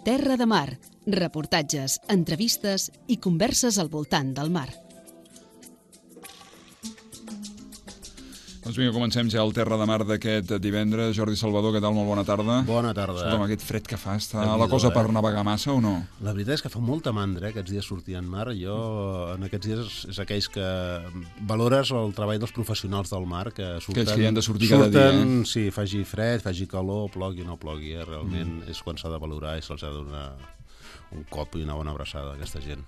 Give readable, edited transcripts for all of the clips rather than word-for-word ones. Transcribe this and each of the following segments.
Terra de Mar, reportatges, entrevistes i converses al voltant del mar. Doncs vinga, comencem ja el Terra de Mar d'aquest divendres. Jordi Salvador, què tal? Molt bona tarda. Bona tarda. Escolta'm, aquest fred que fa, està la cosa per navegar massa o no? La veritat és que fa molta mandra, aquests dies sortir en mar. Jo, en aquests dies, és aquells que valores el treball dels professionals del mar, que surten... Aquells que hi han de sortir cada dia, Sí, faci fred, faci calor, plogui o no plogui, realment és quan s'ha de valorar i se'ls ha de donar un cop i una bona abraçada a aquesta gent.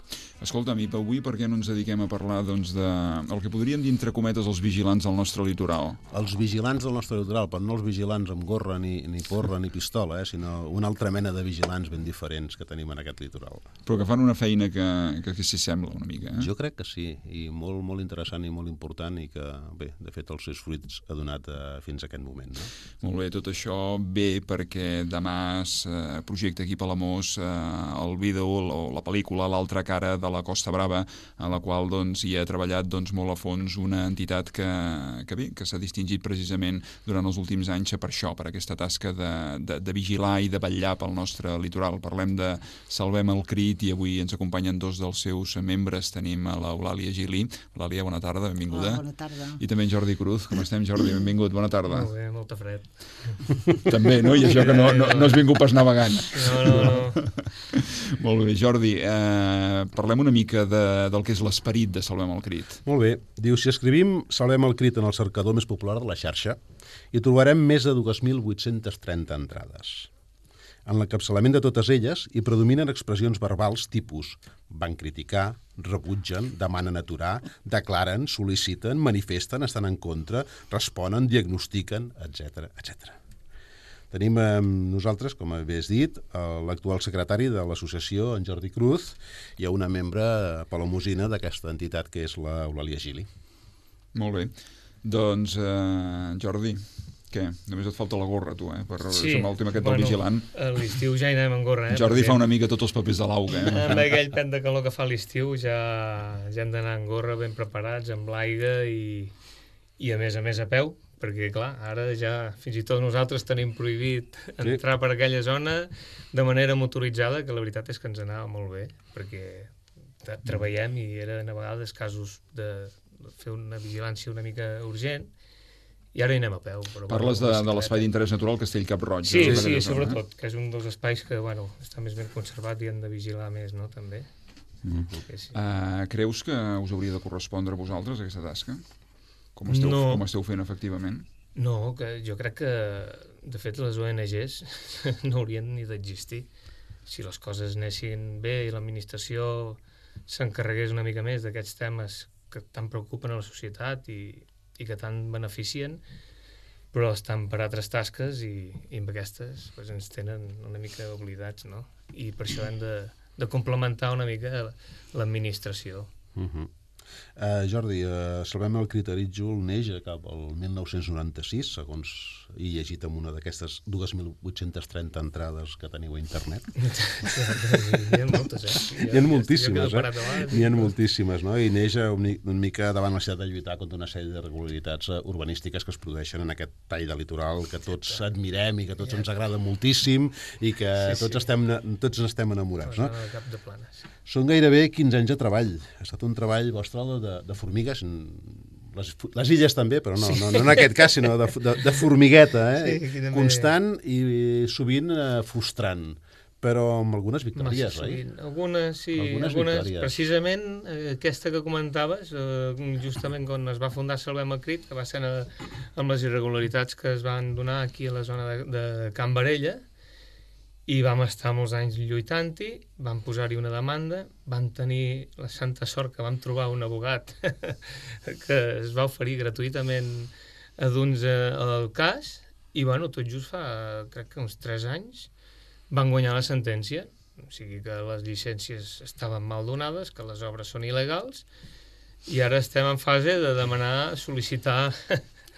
Escolta'm, i avui per què no ens dediquem a parlar doncs, de el que podríem dir entre cometes els vigilants del nostre litoral? Els vigilants del nostre litoral, però no els vigilants amb gorra, ni porra, ni pistola, sinó una altra mena de vigilants ben diferents que tenim en aquest litoral. Però que fan una feina que s'hi sembla una mica, eh? Jo crec que sí, i molt, molt interessant i molt important, i que, bé, de fet, els seus fruits ha donat fins a aquest moment. No? Molt bé, tot això ve perquè demà es projecta aquí a Palamós el vídeo o la pel·lícula L'altra cara de la Costa Brava, a la qual doncs, hi ha treballat molt a fons una entitat que s'ha distingit precisament durant els últims anys per això, per aquesta tasca de vigilar i de vetllar pel nostre litoral. Parlem de Salvem el Crit i avui ens acompanyen dos dels seus membres. Tenim a l'Eulàlia Gili. Eulàlia, bona tarda, benvinguda. Hola, bona tarda. I també en Jordi Cruz. Com estem, Jordi? Benvingut, bona tarda. Molt bé, molta fred. També, no? I això que no has vingut pas navegant. No. Molt bé, Jordi, parlem una mica del que és l'esperit de Salvem el Crit. Molt bé. Diu, si escrivim Salvem el Crit en el cercador més popular de la xarxa, hi trobarem més de 2.830 entrades. En l'encapçalament de totes elles hi predominen expressions verbals tipus van criticar, rebutgen, demanen aturar, declaren, sol·liciten, manifesten, estan en contra, responen, diagnostiquen, etc. etc. Tenim amb nosaltres, com havies dit, l'actual secretari de l'associació, en Jordi Cruz, i una membre palamosina d'aquesta entitat, que és l'Eulàlia Gili. Molt bé. Doncs, Jordi, què? Només et falta la gorra, tu, per ser el tema aquest del vigilant. A l'estiu ja hi anem amb gorra, Jordi fa una mica tots els papers de l'auga, Amb aquell pet de calor que fa a l'estiu ja hem d'anar amb gorra ben preparats, amb l'aigua i a més a peu, perquè, clar, ara ja fins i tot nosaltres tenim prohibit entrar per aquella zona de manera motoritzada, que la veritat és que ens anava molt bé, perquè treballem i eren a vegades casos de fer una vigilància una mica urgent, i ara hi anem a peu. Però, parles de l'espai d'interès natural Castell-Cap-roig. Sí, sobretot, que és un dels espais que està més ben conservat i han de vigilar més, no?, també. Creus que us hauria de correspondre a vosaltres aquesta tasca? Com esteu fent efectivament? No, que jo crec que, de fet, les ONGs no haurien ni d'existir. Si les coses anessin bé i l'administració s'encarregués una mica més d'aquests temes que tant preocupen a la societat i que tant beneficien, però estan per altres tasques i amb aquestes ens tenen una mica oblidats, no? I per això hem de complementar una mica l'administració. Jordi, Salvem el Crit Arítjol neix cap al 1996, segons he llegit en una d'aquestes 2.830 entrades que teniu a internet. N'hi ha moltes, N'hi ha moltíssimes, N'hi ha moltíssimes, no? I neix una mica davant la necessitat de lluitar contra una sèrie d'irregularitats urbanístiques que es produeixen en aquest tall de litoral que tots admirem i que tots ens agrada moltíssim i que tots n'estem enamorats, no? Cap de planes. Són gairebé 15 anys de treball. Ha estat un treball vostre de formigues, les illes també, però no en aquest cas, sinó de formigueta, constant i sovint frustrant, però amb algunes victòries, oi? Algunes victòries. Precisament aquesta que comentaves, justament quan es va fundar Salvem el Crit, que va ser amb les irregularitats que es van donar aquí a la zona de Can Barella, i vam estar molts anys lluitant-hi, vam posar-hi una demanda, vam tenir la santa sort que vam trobar un abogat que es va oferir gratuïtament a d'uns al cas, i tot just fa, crec que uns 3 anys, van guanyar la sentència. O sigui que les llicències estaven mal donades, que les obres són il·legals, i ara estem en fase de demanar, sol·licitar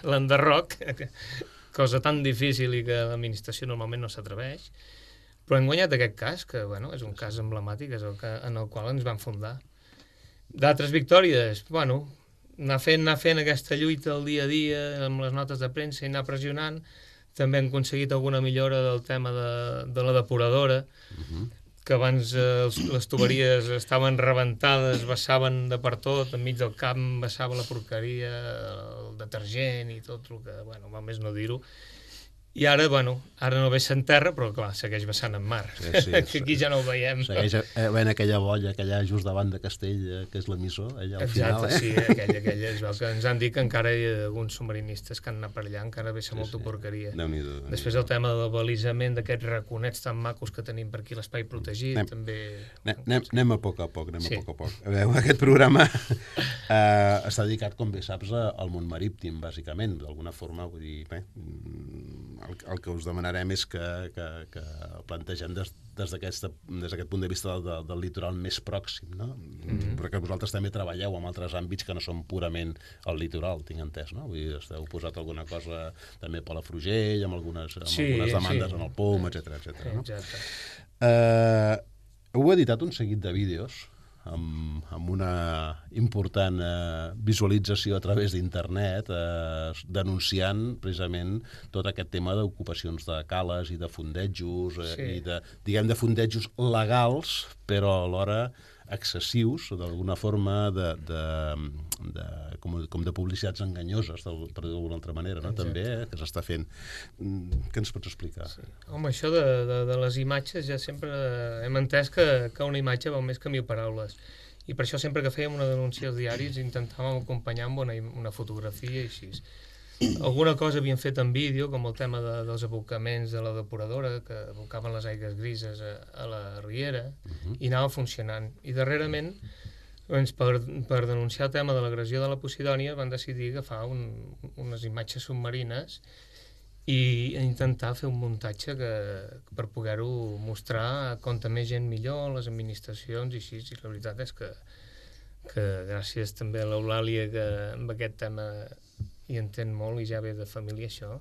l'enderroc, cosa tan difícil i que l'administració normalment no s'atreveix. Però hem guanyat aquest cas, que és un cas emblemàtic, és en el qual ens vam fundar. D'altres victòries, anar fent aquesta lluita el dia a dia, amb les notes de premsa i anar pressionant, També hem aconseguit alguna millora del tema de la depuradora, que abans les tuberies estaven rebentades, vessaven de per tot, enmig del camp vessava la porqueria, el detergent i tot el que, bueno, val més no dir-ho. I ara, bueno, ara no vessen terra, però clar, segueix vessant en mar. Sí, que aquí ja no ho veiem. Segueix havent aquella bolla, aquella just davant de Castell, que és l'emissor, allà al final. Exacte, sí, aquella és el que ens han dit que encara hi ha alguns submarinistes que han anat per allà, encara vessa molta porqueria. Després el tema del balisament d'aquests raconets tan macos que tenim per aquí, l'espai protegit, també... Anem a poc a poc, A veure, aquest programa està dedicat, com bé saps, al món marítim, bàsicament, d'alguna forma, vull dir, el que us demanarem és que plantegem des d'aquest punt de vista del litoral més pròxim, no? Perquè vosaltres també treballeu en altres àmbits que no són purament el litoral, tinc entès, no? Vull dir, esteu posat alguna cosa també per Palafrugell, amb algunes demandes en el POM, etcètera, no? Heu editat un seguit de vídeos amb una important visualització a través d'internet, denunciant precisament tot aquest tema d'ocupacions de cales i de fondejos, i de fondejos legals, però alhora excessius, d'alguna forma com de publicitats enganyoses, per dir d'alguna altra manera, no? També, que s'està fent. Què ens pots explicar? Home, això de les imatges ja sempre hem entès que una imatge val més que 1000 paraules. I per això sempre que fèiem una denúncia als diaris intentàvem acompanyar amb una fotografia i així. Alguna cosa havíem fet en vídeo, com el tema dels abocaments de la depuradora, que abocaven les aigües grises a la riera, i anava funcionant. I darrerament, doncs, per denunciar el tema de l'agressió de la Posidònia, van decidir agafar unes imatges submarines i intentar fer un muntatge per poder-ho mostrar com més gent millor, les administracions i així. I la veritat és que gràcies també a l'Eulàlia, que amb aquest tema hi entén molt i ja ve de família això,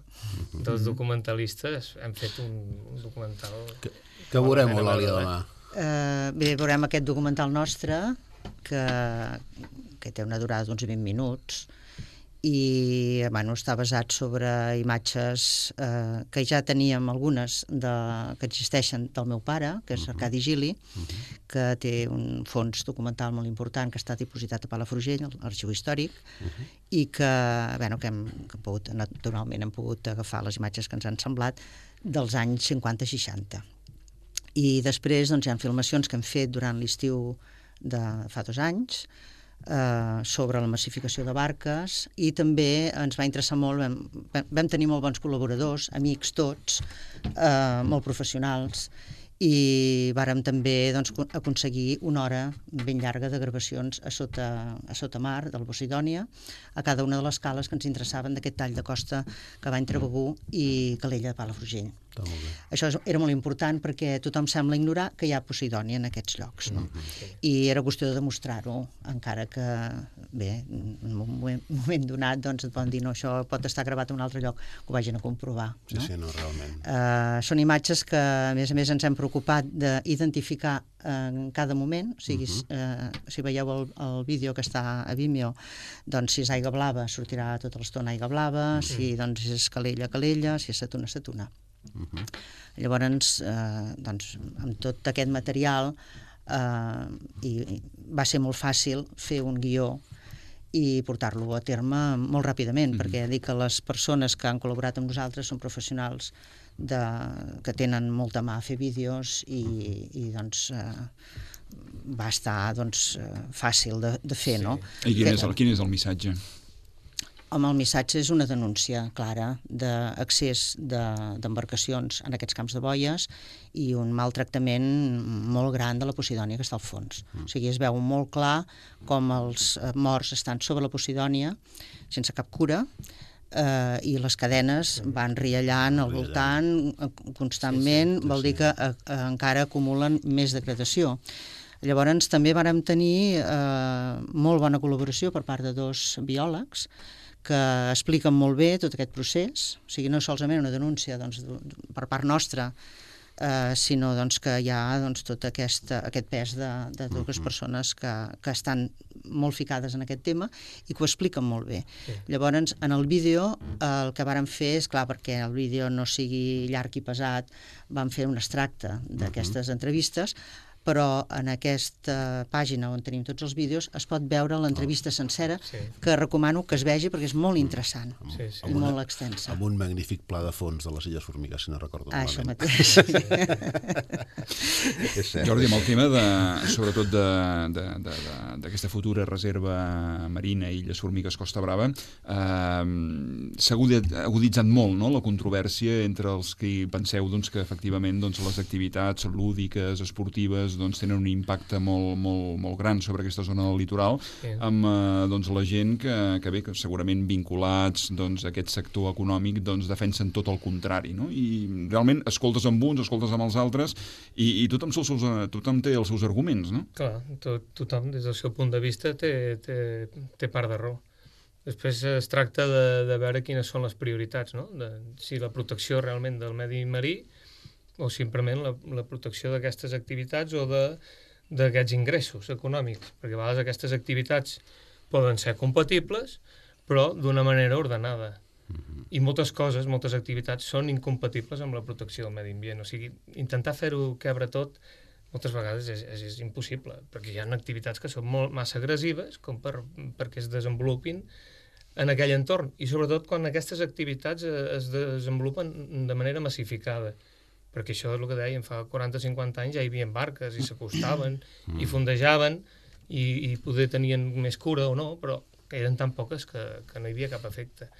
dels documentalistes hem fet un documental. Què veurem, Eulàlia, demà? Bé, veurem aquest documental nostre que té una durada d'uns 20 minuts i està basat sobre imatges que ja teníem algunes que existeixen del meu pare, que és Arcadi Gili, que té un fons documental molt important que està dipositat a Palafrugell, a l'Arxiu Històric, i que naturalment hem pogut agafar les imatges que ens han semblat dels anys 50-60. I després hi ha filmacions que hem fet durant l'estiu de fa 2 anys, sobre la massificació de barques, i també ens va interessar molt, vam tenir molt bons col·laboradors, amics tots, molt professionals, i vàrem també aconseguir una hora ben llarga de gravacions a sota mar del Posidònia, a cada una de les cales que ens interessaven d'aquest tall de costa que va entre Begur i Calella de Palafrugell. Això era molt important perquè tothom sembla ignorar que hi ha Posidònia en aquests llocs, no? I era qüestió de demostrar-ho, encara que, bé, en un moment donat et poden dir no, això pot estar gravat en un altre lloc, que ho vagin a comprovar. Sí, no, realment. Són imatges que, a més ens hem preocupat d'identificar en cada moment, o sigui, si veieu el vídeo que està a Vimeo, doncs si és aigua blava sortirà tota l'estona aigua blava, si és Calella, Calella, si és Setuna, Setuna. Llavors, amb tot aquest material va ser molt fàcil fer un guió i portar-lo a terme molt ràpidament, perquè dic que les persones que han col·laborat amb nosaltres són professionals que tenen molta mà a fer vídeos i va estar fàcil de fer, no? I quin és el missatge? Home, el missatge és una denúncia clara d'accés d'embarcacions en aquests camps de boies i un maltractament molt gran de la Posidònia que està al fons. O sigui, es veu molt clar com els morts estan sobre la Posidònia sense cap cura i les cadenes van riallant al voltant constantment, vol dir que encara acumulen més degradació. Llavors també vàrem tenir molt bona col·laboració per part de 2 biòlegs que expliquen molt bé tot aquest procés, o sigui, no solament una denúncia per part nostra, sinó que hi ha tot aquest pes de totes les persones que estan molt ficades en aquest tema i que ho expliquen molt bé. Llavors, en el vídeo, el que vàrem fer és, clar, perquè el vídeo no sigui llarg i pesat, vam fer un extracte d'aquestes entrevistes, però en aquesta pàgina on tenim tots els vídeos es pot veure l'entrevista sencera, que recomano que es vegi perquè és molt interessant i molt extensa. Amb un magnífic pla de fons de les Illes Formigues, si no recordo malament. Això mateix. Jordi, amb el tema, sobretot d'aquesta futura reserva marina Illes Formigues Costa Brava, s'ha aguditzat molt, no?, la controvèrsia entre els que penseu que efectivament les activitats lúdiques, esportives, tenen un impacte molt gran sobre aquesta zona del litoral, amb la gent que bé, que segurament vinculats a aquest sector econòmic defensen tot el contrari, no? I realment escoltes amb uns, escoltes amb els altres, i tothom té els seus arguments, no? Clar, tothom des del seu punt de vista té part de raó. Després es tracta de veure quines són les prioritats, no? Si la protecció realment del medi marí o simplement la protecció d'aquestes activitats o d'aquests ingressos econòmics, perquè a vegades aquestes activitats poden ser compatibles, però d'una manera ordenada. I moltes activitats són incompatibles amb la protecció del medi ambient. O sigui, intentar fer-ho quebre tot moltes vegades és impossible, perquè hi ha activitats que són massa agressives com perquè es desenvolupin en aquell entorn, i sobretot quan aquestes activitats es desenvolupen de manera massificada. Perquè això és el que dèiem, fa 40-50 anys ja hi havia barques i s'acostaven i fondejaven i poder tenien més cura o no, però eren tan poques que no hi havia cap efecte.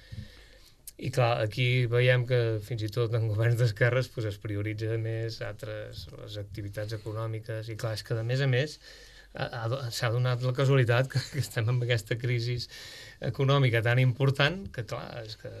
I clar, aquí veiem que fins i tot en governs d'esquerres es prioritza més les activitats econòmiques, i clar, és que a més s'ha donat la casualitat que estem en aquesta crisi econòmica tan important que clar, és que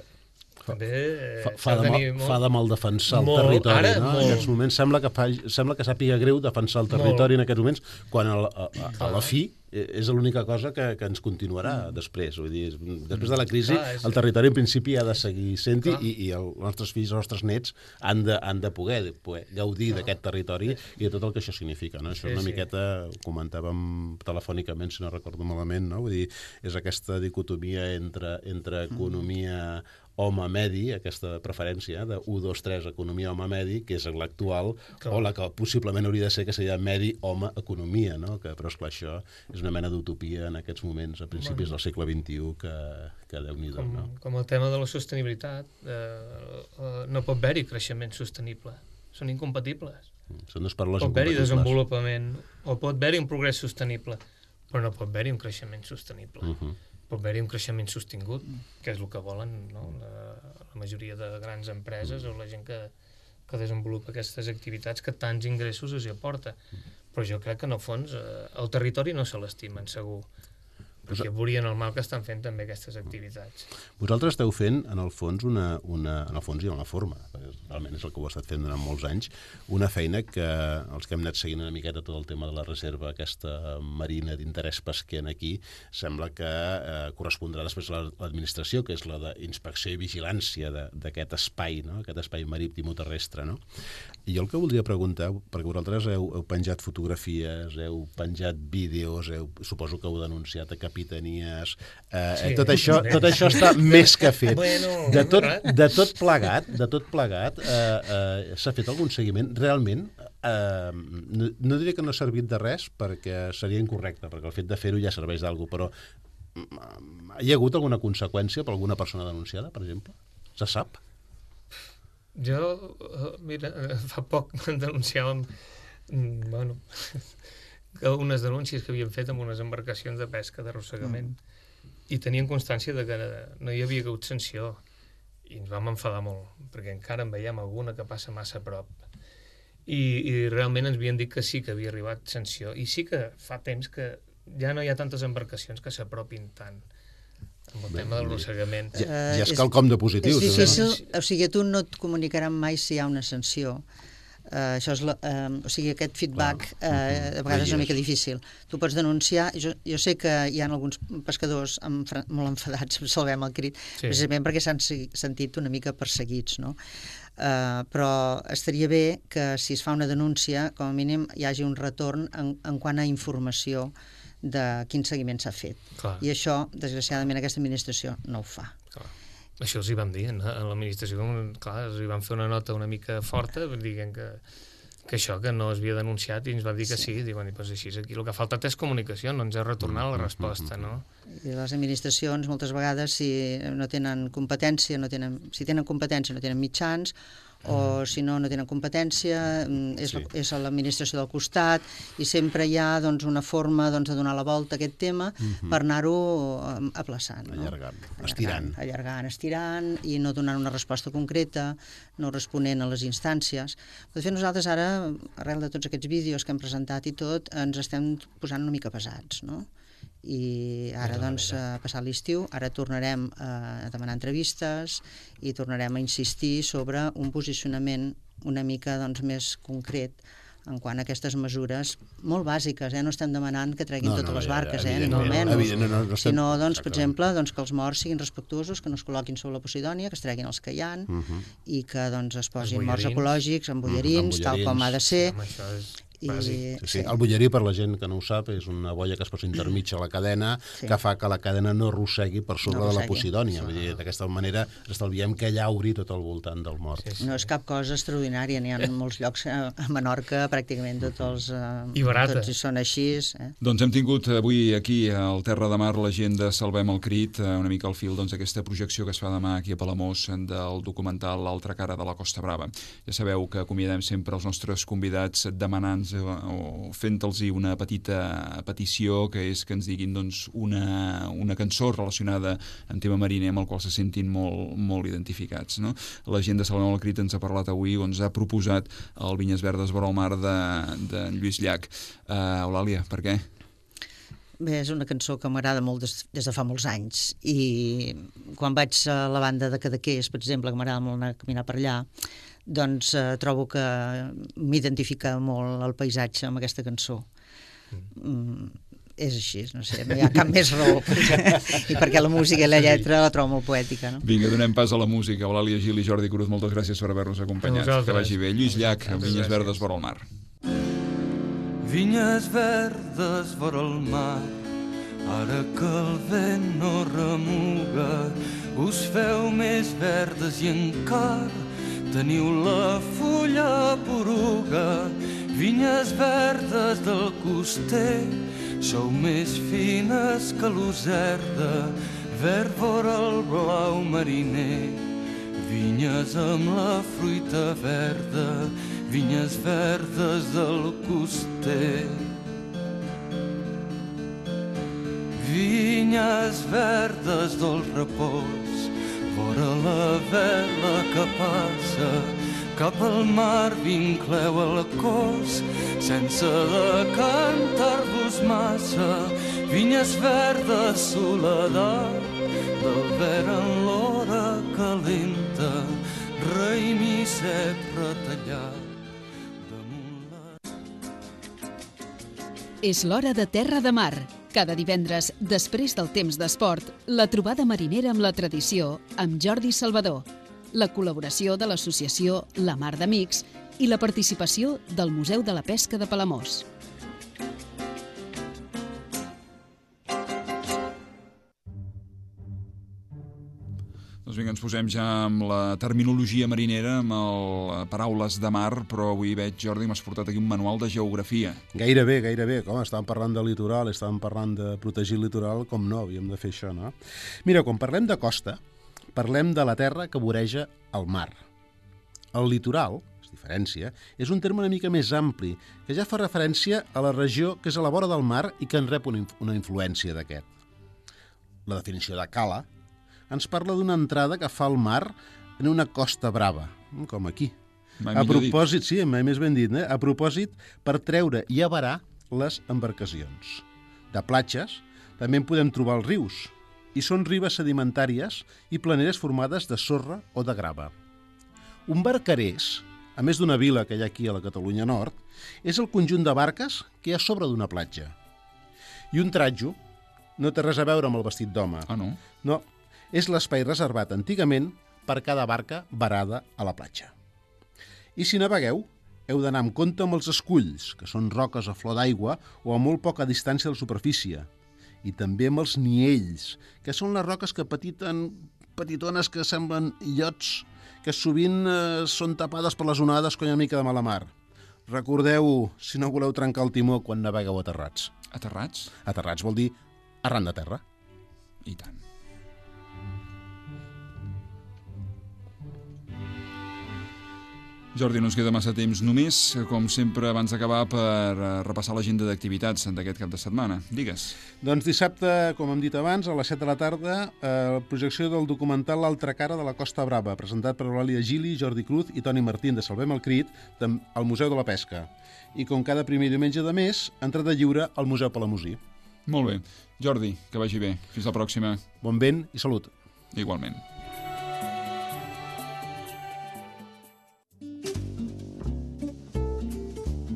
fa de mal defensar el territori, no? En aquests moments sembla que sàpiga greu defensar el territori en aquests moments, quan a la fi és l'única cosa que ens continuarà després. Vull dir, després de la crisi, el territori en principi ha de seguir sent-hi, i els nostres fills, els nostres nets han de poder gaudir d'aquest territori i de tot el que això significa, no? Això una miqueta ho comentàvem telefònicament, si no recordo malament, no? Vull dir, és aquesta dicotomia entre economia home-medi, aquesta preferència de 1, 2, 3, economia home-medi, que és l'actual, o la que possiblement hauria de ser, que seria medi-home-economia, no? Però, esclar, això és una mena d'utopia en aquests moments, a principis del segle XXI, que Déu-n'hi-do, no? Com el tema de la sostenibilitat, no pot haver-hi creixement sostenible, són incompatibles. Són dos paraules incompatibles. Pot haver-hi desenvolupament, o pot haver-hi un progrés sostenible, però no pot haver-hi un creixement sostenible. Pot haver-hi un creixement sostingut, que és el que volen, no? La majoria de grans empreses o la gent que desenvolupa aquestes activitats que tants ingressos els aporta. Però jo crec que, en el fons, el territori no se l'estimen, segur, perquè veurien el mal que estan fent també aquestes activitats. Vosaltres esteu fent, en el fons, en el fons i en la forma, realment és el que ho heu estat fent durant molts anys, una feina que els que hem anat seguint una miqueta tot el tema de la reserva aquesta marina d'interès pesquer aquí, sembla que correspondrà després a l'administració, que és la d'inspecció i vigilància d'aquest espai, no? Aquest espai marítim o terrestre, no? I jo el que voldria preguntar, perquè vosaltres heu penjat fotografies, heu penjat vídeos, suposo que heu denunciat a capitanies, tot això està més que fet. De tot plegat, s'ha fet algun seguiment? Realment, no diré que no ha servit de res, perquè seria incorrecte, perquè el fet de fer-ho ja serveix d'alguna cosa, però hi ha hagut alguna conseqüència per alguna persona denunciada, per exemple? Se sap? Jo, mira, fa poc denunciàvem, unes denúncies que havien fet amb unes embarcacions de pesca d'arrossegament, i tenien constància de que no hi havia hagut sanció, i ens vam enfadar molt, perquè encara en veiem alguna que passa massa a prop, i realment ens havien dit que sí que havia arribat sanció, i sí que fa temps que ja no hi ha tantes embarcacions que s'apropin tant amb el tema del arrossegament. Ja és quelcom de positiu. És difícil, o sigui, tu no et comunicaran mai si hi ha una sanció. Això és o sigui, aquest feedback a vegades és una mica difícil. Tu pots denunciar, jo sé que hi ha alguns pescadors molt enfadats, Salvem el Crit, precisament perquè s'han sentit una mica perseguits, no? Però estaria bé que si es fa una denúncia, com a mínim hi hagi un retorn en quant a informació de quin seguiment s'ha fet. Clar. I això, desgraciadament, aquesta administració no ho fa. Clar. Això els hi vam dir, a l'administració, clar, els hi vam fer una nota una mica forta, dient que això, que no es havia denunciat, i ens va dir que sí. Diuen, doncs així, aquí el que ha faltat és comunicació, no ens ha retornat la resposta, no? I les administracions, moltes vegades, si no tenen competència, si tenen competència no tenen mitjans, o si no tenen competència, és a l'administració del costat, i sempre hi ha una forma de donar la volta a aquest tema per anar-ho aplaçant. Estirant, i no donant una resposta concreta, no responent a les instàncies. De fet, nosaltres ara, arrel de tots aquests vídeos que hem presentat i tot, ens estem posant una mica pesats, no? I ara, passat l'estiu, ara tornarem a demanar entrevistes i tornarem a insistir sobre un posicionament una mica més concret en quant a aquestes mesures molt bàsiques. No estem demanant que treguin totes les barques, ni molt menys. Sinó, per exemple, que els morts siguin respectuosos, que no es col·loquin sobre la Posidònia, que es treguin els que hi ha i que es posin morts ecològics, amb bullerins, tal com ha de ser. El bullerí, per la gent que no ho sap, és una boia que es posa intermig a la cadena que fa que la cadena no arrossegui per sobre de la Posidònia. D'aquesta manera estalviem que llauri tot al voltant del mort. No és cap cosa extraordinària, n'hi ha molts llocs a Menorca, pràcticament tots hi són així. Doncs hem tingut avui aquí al Terra de Mar la gent de Salvem el Crit, una mica al fil d'aquesta projecció que es fa demà aquí a Palamós del documental L'altra cara de la Costa Brava. Ja sabeu que acomiadem sempre els nostres convidats demanant o fent-los una petita petició, que és que ens diguin una cançó relacionada amb tema mariner amb el qual se sentin molt identificats. La gent de Salvem el Crit ens ha parlat avui, ens ha proposat el Vinyes Verdes vora el mar de Lluís Llach. Eulàlia, per què? Bé, és una cançó que m'agrada molt des de fa molts anys, i quan vaig a la banda de Cadaqués, per exemple, que m'agrada molt anar a caminar per allà, trobo que m'identifica molt el paisatge amb aquesta cançó. És així, no sé, no hi ha cap més raó, i perquè la música i la lletra la trobo molt poètica. Vinga, donem pas a la música. Eulàlia Gil i Jordi Cruz, moltes gràcies per haver-nos acompanyat. Que vagi bé. Lluís Llach, Vinyes Verdes vora el mar. Vinyes verdes vora el mar, ara que el vent no remuga, us feu més verdes i encara teniu la fulla poruga. Vinyes verdes del coster, sou més fines que l'userda, verd vora el blau mariner. Vinyes amb la fruita verda, vinyes verdes del coster. Vinyes verdes del repòs, vora la vela que passa, cap al mar vincleu el cos, sense decantar-vos massa. Vinyes verdes, soledat, del verd en l'hora calenta, raïm i cep retallat. És l'hora de Terra de Mar. Cada divendres, després del temps d'esport, la trobada marinera amb la tradició amb Jordi Salvador, la col·laboració de l'associació La Mar d'Amics i la participació del Museu de la Pesca de Palamós. Doncs vinga, ens posem ja amb la terminologia marinera, amb paraules de mar, però avui veig, Jordi, m'has portat aquí un manual de geografia. Gairebé. Com estàvem parlant de litoral, estàvem parlant de protegir el litoral, com no, havíem de fer això, no? Mira, quan parlem de costa, parlem de la terra que voreja el mar. El litoral, es diferència, és un terme una mica més ampli, que ja fa referència a la regió que és a la vora del mar i que en rep una influència d'aquest. La definició de cala ens parla d'una entrada que fa al mar en una costa brava, com aquí. A propòsit, sí, mai més ben dit, a propòsit per treure i avarar les embarcacions. De platges també en podem trobar els rius, i són ribes sedimentàries i planeres formades de sorra o de grava. Un barcarès, a més d'una vila que hi ha aquí a la Catalunya Nord, és el conjunt de barques que hi ha sobre d'una platja. I un tratjo no té res a veure amb el vestit d'home. Ah, no? No, és l'espai reservat antigament per cada barca varada a la platja. I si navegueu, heu d'anar amb compte amb els esculls, que són roques a flor d'aigua o a molt poca distància de la superfície. I també amb els niells, que són les roques que petitones que semblen illots, que sovint són tapades per les onades quan hi ha una mica de mala mar. Recordeu, si no voleu trencar el timó quan navegueu aterrats. Aterrats? Aterrats vol dir arran de terra. I tant. Jordi, no ens queda massa temps. Només, com sempre, abans d'acabar, per repassar l'agenda d'activitats d'aquest cap de setmana. Digues. Doncs dissabte, com hem dit abans, a les 7 de la tarda, projecció del documental L'altra cara de la Costa Brava, presentat per Eulàlia Gili, Jordi Cruz i Toni Martín de Salvem el Crit, al Museu de la Pesca. I com cada primer diumenge de mes, entrada lliure al Museu Palamosí. Molt bé. Jordi, que vagi bé. Fins la pròxima. Bon vent i salut. Igualment.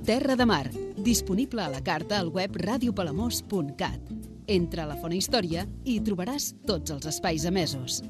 Terra de Mar, disponible a la carta al web radiopalamós.cat. Entra a la Fona Història i hi trobaràs tots els espais emesos.